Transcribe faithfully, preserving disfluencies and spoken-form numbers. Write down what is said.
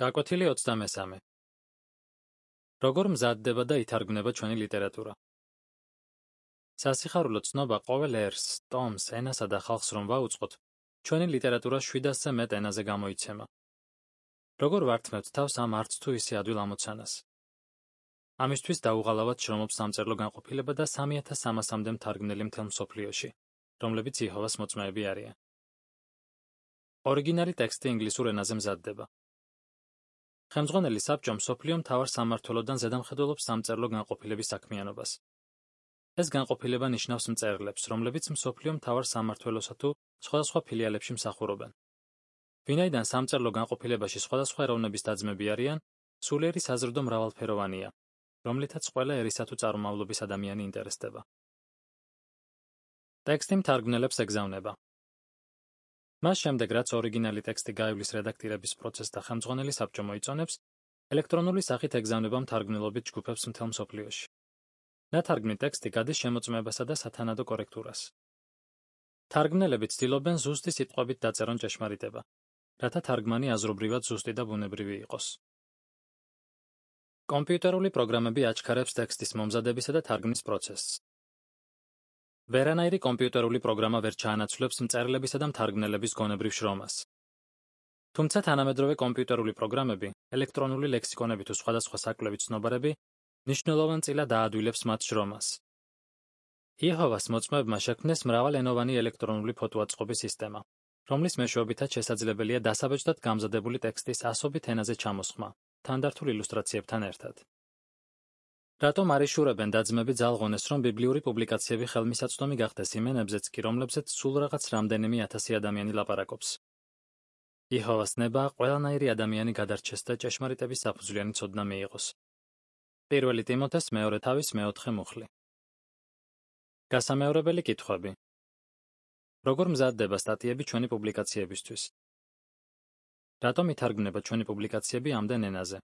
გაკვეთილი ოცდამესამე. როგორ მზადდება და ითარგმნება ჩვენი ლიტერატურა? სასიხარულო ცნობა ყოველ ერს, ტომს, ენასა და ხალხს რომ ვაუწყოთ, ჩვენი ლიტერატურა შვიდასზე მეტ ენაზე გამოიცემა. როგორ ვართმევთ თავს ამ არც თუ ისე ადვილ ამოცანას? ამისთვის დაუღალავად შრომობს სამწერლო განყოფილება და სამი ათას სამასამდე მთარგმნელი მთელ მსოფლიოში, რომლებიც იეჰოვას მოწმეები არიან. ორიგინალი ტექსტი ინგლისურ ენაზე მზადდება. ხელმძღვანელი საბჭო მსოფლიო მთავარ სამმართველოდან ზედამხედველობს სამწერლო განყოფილების საქმიანობას. ეს განყოფილება ნიშნავს მწერლებს, რომლებიც მსოფლიო მთავარ სამმართველოსა თუ სხვადასხვა ფილიალებში მსახურობენ. ვინაიდან სამწერლო განყოფილებაში სხვადასხვა ეროვნების და-ძმები არიან, სულიერი საზრდო მრავალფეროვანია, რომლითაც ყველა ერისა თუ წარმომავლობის ადამიანი ინტერესდება. ტექსტი მთარგმნელებს ეგზავნება. მას შემდეგ, რაც ორიგინალი ტექსტი გაივლის რედაქტირების პროცესს და ხელმძღვანელი საბჭო მოიწონებს, ელექტრონული სახით ეგზავნება მთარგმნელობით ჯგუფებს მთელ მსოფლიოში. ნათარგმნი ტექსტი გადის შემოწმებასა და სათანადო კორექტურას. თარგმნელები ცდილობენ ზუსტი სიტყვებით დაწერონ ჭეშმარიტება, რათა თარგმანი აზრობრივად ზუსტი და ბუნებრივი იყოს. კომპიუტერული პროგრამები აჩქარებს ტექსტის მომზადებისა და თარგმნის პროცესს. ვერანაირი კომპიუტერული პროგრამა ვერ ჩაანაცვლებს მწერლებისა და მთარგმნელების გონებრივ შრომას. თუმცა თანამედროვე კომპიუტერული პროგრამები, ელექტრონული ლექსიკონები თუ სხვადასხვა საკლები ცნობარები მნიშვნელოვანწილად აადვილებს მათ შრომას. იეჰოვას მოწმეებმა შექმნეს მრავალენოვანი ელექტრონული ფოტოაწყობის სისტემა, რომლის მეშვეობითაც შესაძლებელია დასაბეჭდად გამზადებული ტექსტის ასობით ენაზე ჩამოსხმა, თანდართულ ილუსტრაციებთან ერთად. რატომ არ იშურებენ და-ძმები ძალღონეს, რომ ბიბლიური პუბლიკაციები ხელმისაწვდომი გახდეს იმ ენებზეც კი, რომლებზეც სულ რაღაც რამდენიმე ათასი ადამიანი ლაპარაკობს? იეჰოვას ნება ყველანაირი ადამიანი გადარჩეს და ჭეშმარიტების საფუძვლიანი ცოდნა მიიღოს. პირველი ტიმოთეს მეორე თავის მეოთხე მუხლი. გასამეორებელი კითხვები. როგორ მზადდება სტატიები ჩვენი პუბლიკაციებისთვის? რატომ ითარგმნება ჩვენი პუბლიკაციები ამდენ ენაზე?